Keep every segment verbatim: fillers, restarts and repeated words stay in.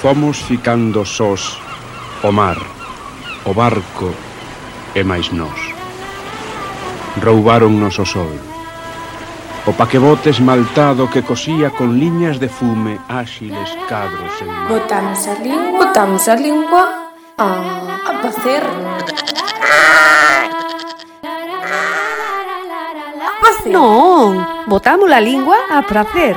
Fomos ficando sós, o mar, o barco e máis nós. Roubáronnos o sol. O paquebote esmaltado que cosía con liñas de fume áxiles cadros en mar. Botamos a lingua, botamos a lingua a, a pacer. A pacer. Non, botamos a lingua a pracer.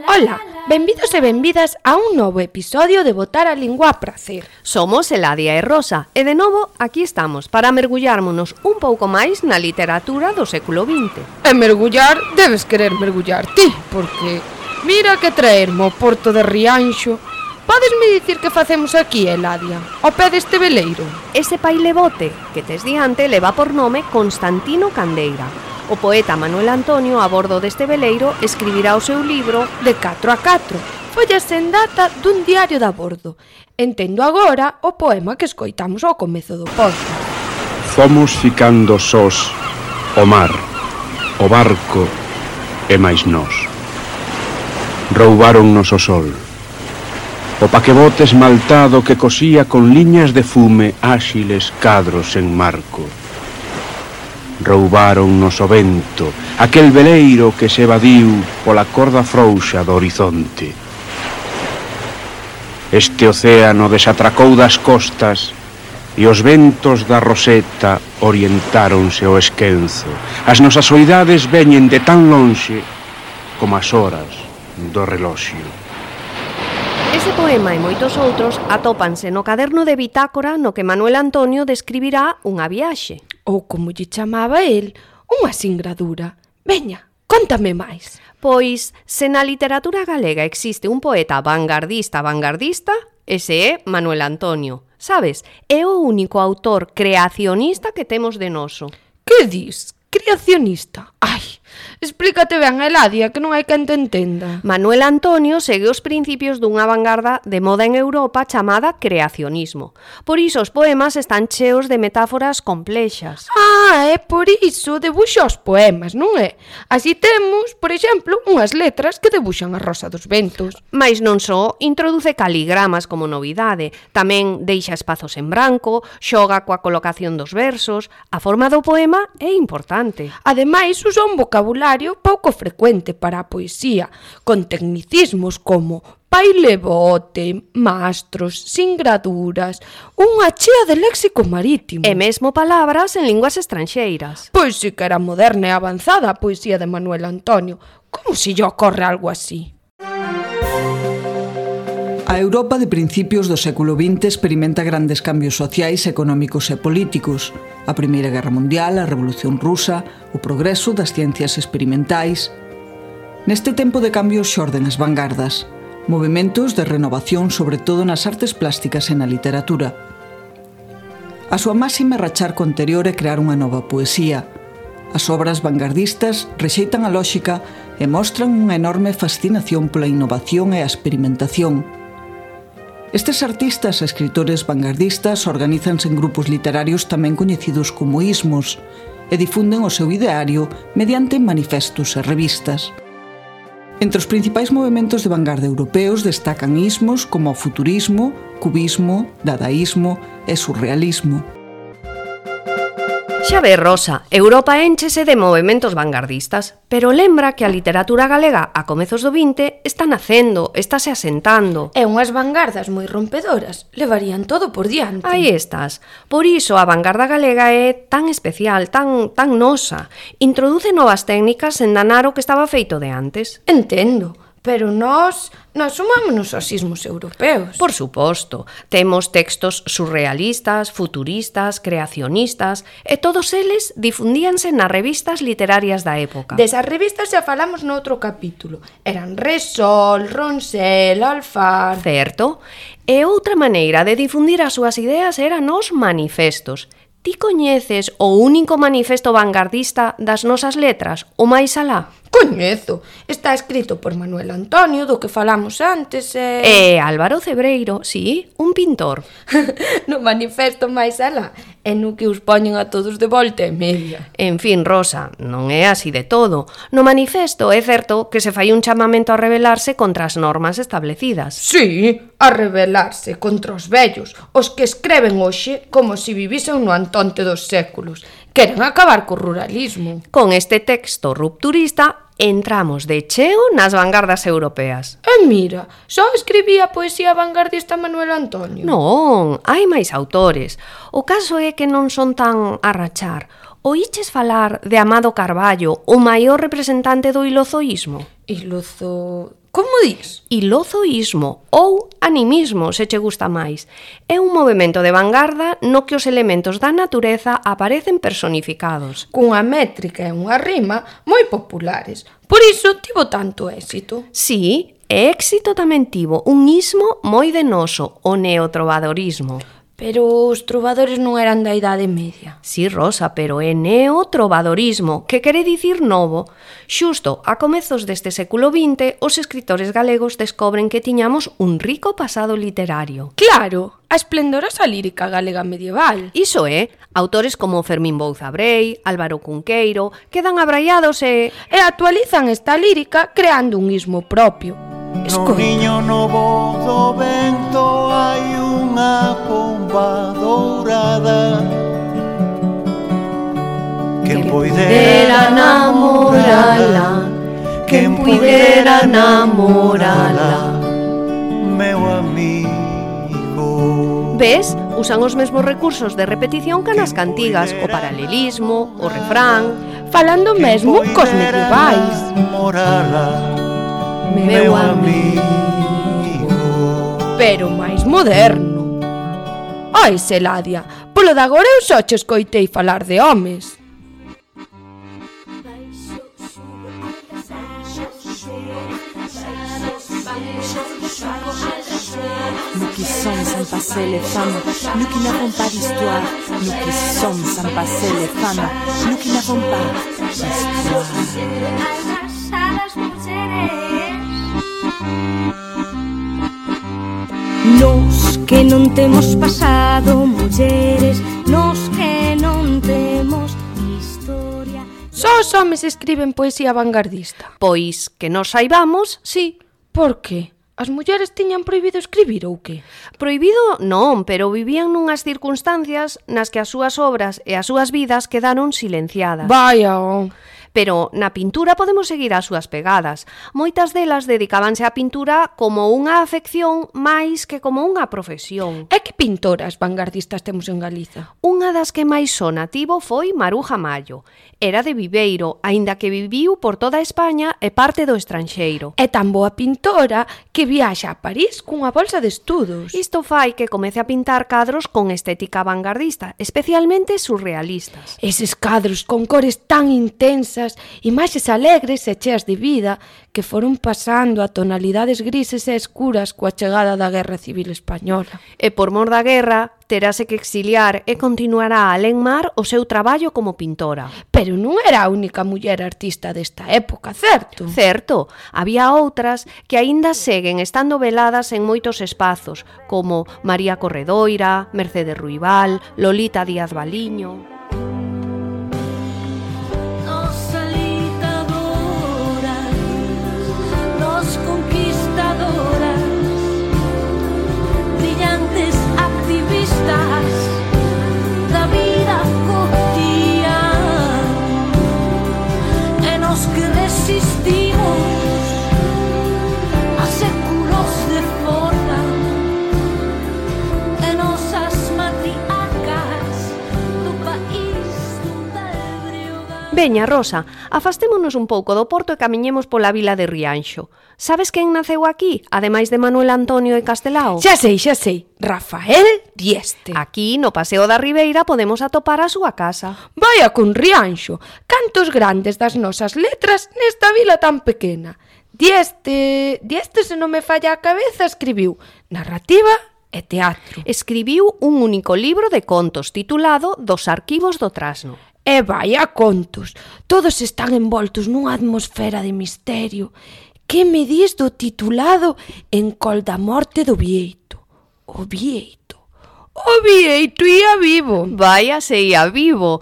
Ola, benvidos e benvidas a un novo episodio de Botar a Lingua a Pracer. Somos Eladia e Rosa e de novo aquí estamos para mergullármonos un pouco máis na literatura do século vinte. E mergullar, debes querer mergullar ti, porque mira que traermo ao porto de Rianxo. Podesme dicir que facemos aquí, Eladia, ao pé deste veleiro? Ese pailebote que tes diante leva por nome Constantino Candeira. O poeta Manuel Antonio, a bordo deste veleiro, escribirá o seu libro De catro a catro, follas sen data dun diario de a bordo. Entendo agora o poema que escoitamos ao comezo do podcast. Fomos ficando sós, o mar, o barco e máis nós. Roubáronnos o sol. O paquebote esmaltado que cosía con liñas de fume áxiles cadros en marco. Roubáronnos o vento, aquel veleiro que se evadiu pola corda frouxa do horizonte. Este océano desatracou das costas e os ventos da Roseta orientáronse ao esquenzo. As nosas soidades veñen de tan lonxe como as horas do reloxio. Ese poema e moitos outros atópanse no caderno de bitácora no que Manuel Antonio describirá unha viaxe. Ou como lle chamaba el, unha singradura. Veña, cóntame máis. Pois, se na literatura galega existe un poeta vanguardista vanguardista, ese é Manuel Antonio. Sabes, é o único autor creacionista que temos de noso. Que dis? Creacionista? Ai, explícate ben, Eladia, que non hai quen te entenda. Manuel Antonio segue os principios dunha vanguarda de moda en Europa chamada creacionismo. Por iso os poemas están cheos de metáforas complexas. Ah, é por iso debuxa os poemas, non é? Así temos, por exemplo, unhas letras que debuxan a rosa dos ventos. Mais non só introduce caligramas como novidade, tamén deixa espazos en branco, xoga coa colocación dos versos. A forma do poema é importante. Ademais, usa un vocabulario pouco frecuente para a poesía, con tecnicismos como pailebote, mastros, singraduras, unha chea de léxico marítimo. E mesmo palabras en linguas estranxeiras. Pois si que era moderna e avanzada a poesía de Manuel Antonio. Como se lle ocorre algo así? A Europa de principios do século vinte experimenta grandes cambios sociais, económicos e políticos. A Primeira Guerra Mundial, a Revolución Rusa, o progreso das ciencias experimentais. Neste tempo de cambios xorden as vanguardas, movementos de renovación sobre todo nas artes plásticas e na literatura. A súa máxima é rachar co anterior e crear unha nova poesía. As obras vanguardistas rexeitan a lóxica e mostran unha enorme fascinación pola innovación e a experimentación. Estes artistas e escritores vanguardistas organízanse en grupos literarios tamén coñecidos como ismos e difunden o seu ideario mediante manifestos e revistas. Entre os principais movementos de vanguarda europeos destacan ismos como o futurismo, cubismo, dadaísmo e surrealismo. Xa ve, Rosa, Europa énchese de movementos vanguardistas, pero lembra que a literatura galega a comezos do vinte está nacendo, estáse asentando. E unhas vanguardas moi rompedoras levarían todo por diante. Aí estás. Por iso a vanguarda galega é tan especial, tan, tan nosa. Introduce novas técnicas en danar o que estaba feito de antes. Entendo. Pero nós, nós sumámonos aos ismos europeos. Por suposto, temos textos surrealistas, futuristas, creacionistas, e todos eles difundíanse nas revistas literarias da época. Desas revistas xa falamos noutro capítulo. Eran Resol, Ronsel, Alfar... Certo. E outra maneira de difundir as súas ideas eran os manifestos. Ti coñeces o único manifesto vanguardista das nosas letras, o máis alá? Coñezo. Está escrito por Manuel Antonio, do que falamos antes, e... E Álvaro Cebreiro, sí, un pintor. No manifesto máis alá, e no que os poñen a todos de volta e media. En fin, Rosa, non é así de todo. No manifesto é certo que se fai un chamamento a rebelarse contra as normas establecidas. Sí, a rebelarse contra os vellos, os que escreven hoxe como se vivisen no Antonte dos séculos. Queren acabar co ruralismo. Con este texto rupturista entramos de cheo nas vanguardas europeas. E mira, só escribía poesía vanguardista Manuel Antonio. Non, hai máis autores. O caso é que non son tan a rachar. Oíches falar de Amado Carballo, o maior representante do ilozoísmo? Ilozo... Como dis? Ilozoísmo ou animismo, se che gusta máis. É un movemento de vanguarda no que os elementos da natureza aparecen personificados. Cunha métrica e unha rima moi populares. Por iso tivo tanto éxito. Sí, e éxito tamén tivo un ismo moi de noso, o neotrovadorismo. Pero os trovadores non eran da Idade Media. Sí, Rosa, pero é neotrovadorismo, que quere dicir novo. Xusto a comezos deste século vinte, os escritores galegos descobren que tiñamos un rico pasado literario. Claro, a esplendorosa lírica galega medieval. Iso é, autores como Fermín Bouza Brei, Álvaro Cunqueiro, quedan abraiados e... E actualizan esta lírica creando un ismo propio. No niño novo do vento hai unha pomba dourada. Quen puidera namorala, quen puidera namorala, meu amigo. Ves? Usan os mesmos recursos de repetición que nas cantigas, o paralelismo, o refrán, falando mesmo cos medievais. Meu amigo. Pero máis moderno. Ai, Celadia, polo de agora eu só che escoitei falar de homes. Nous qui sommes sans passer les femmes, nous qui n'avons pas d'histoire, nous qui sommes sans passer les femmes, nous qui n'avons pas d'histoire. Nos que non temos pasado, mulleres, nos que non temos historia. Só os homes escriben poesía vanguardista. Pois que nos saibamos, sí. Por que? As mulleres tiñan prohibido escribir ou que? Prohibido non, pero vivían nunhas circunstancias nas que as súas obras e as súas vidas quedaron silenciadas. Vaya, oh. Pero na pintura podemos seguir as súas pegadas. Moitas delas dedicábanse á pintura como unha afección máis que como unha profesión. E que pintoras vanguardistas temos en Galiza? Unha das que máis sona tivo foi Maruja Mallo. Era de Viveiro, aínda que viviu por toda España e parte do estranxeiro. É tan boa pintora que viaxa a París cunha bolsa de estudos. Isto fai que comece a pintar cadros con estética vanguardista, especialmente surrealistas. Eses cadros con cores tan intensas, imaxes alegres e cheas de vida, que foron pasando a tonalidades grises e escuras coa chegada da Guerra Civil Española. E por mor da guerra, terase que exiliar e continuará a lenmar o seu traballo como pintora. Pero non era a única muller artista desta época, certo? Certo, había outras que aínda seguen estando veladas en moitos espazos, como María Corredoira, Mercedes Ruibal, Lolita Díaz Baliño... Da vida cotidiana, e nos que resistimos a séculos de forma, e nosas matriarcas do país donde brioga. Veña, Rosa, afastémonos un pouco do porto e camiñemos pola vila de Rianxo. Sabes quen naceu aquí, ademais de Manuel Antonio e Castelao? Xa sei, xa sei. Rafael Dieste. Aquí, no Paseo da Ribeira, podemos atopar a súa casa. Vaya con Rianxo, cantos grandes das nosas letras nesta vila tan pequena. Dieste, Dieste, se non me falla a cabeza, escribiu narrativa e teatro. Escribiu un único libro de contos titulado Dos arquivos do Trasno. E vai a contos. Todos están envoltos nunha atmosfera de misterio. Que me dis do titulado En col da morte do Bieito? O Bieito. O Bieito ia vivo. Vaya se ia vivo.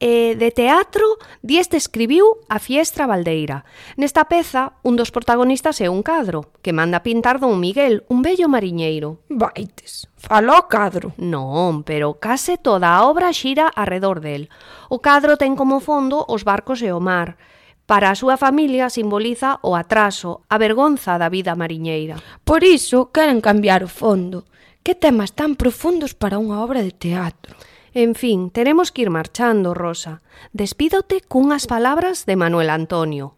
E de teatro, Dieste escribiu A Fiestra Baldeira. Nesta peza, un dos protagonistas é un cadro, que manda pintar don Miguel, un bello mariñeiro. Vaites, fala o cadro. Non, pero case toda a obra xira arredor del. O cadro ten como fondo os barcos e o mar. Para a súa familia simboliza o atraso, a vergonza da vida mariñeira. Por iso queren cambiar o fondo. Que temas tan profundos para unha obra de teatro. En fin, teremos que ir marchando, Rosa. Despídote cunhas palabras de Manuel Antonio.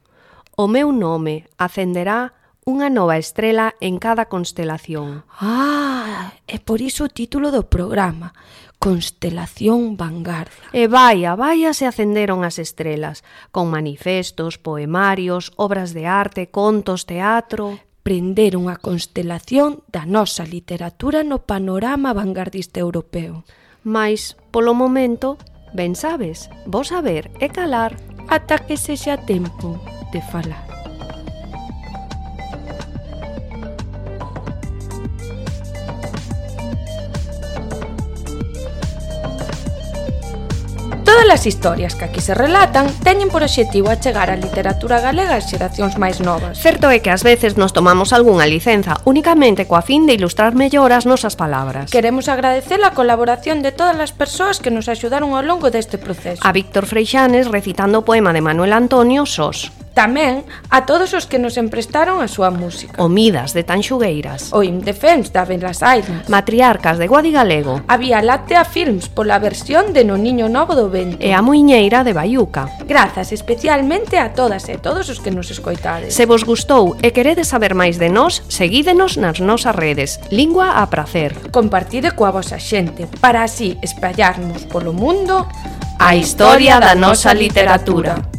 O meu nome acenderá unha nova estrela en cada constelación. Ah, é por iso o título do programa. Constelación Vanguardia. E vaia, vaia se acenderon as estrelas, con manifestos, poemarios, obras de arte, contos, teatro... Prenderon a constelación da nosa literatura no panorama vanguardista europeo. Mais, polo momento, ben sabes, vos saber e calar. Ata que sexa tempo de falar. Todas as historias que aquí se relatan teñen por obxectivo achegar a literatura galega ás xeracións máis novas. Certo é que ás veces nos tomamos algunha licenza únicamente coa fin de ilustrar mellor as nosas palabras. Queremos agradecer a colaboración de todas as persoas que nos axudaron ao longo deste proceso. A Víctor Freixanes recitando o poema de Manuel Antonio, Sós. Tamén a todos os que nos emprestaron a súa música. O Midas de Tanxugueiras. O Indefens da Belas Airas. Matriarcas de Guadigalego. A Vía Láctea Films pola versión de No Niño Novo do Vento. E a Muiñeira de Baiuca. Grazas especialmente a todas e todos os que nos escoitades. Se vos gustou e queredes saber máis de nós, seguídenos nas nosas redes. Lingua a pracer. Compartide coa vosa xente para así espallarnos polo mundo a historia da nosa literatura.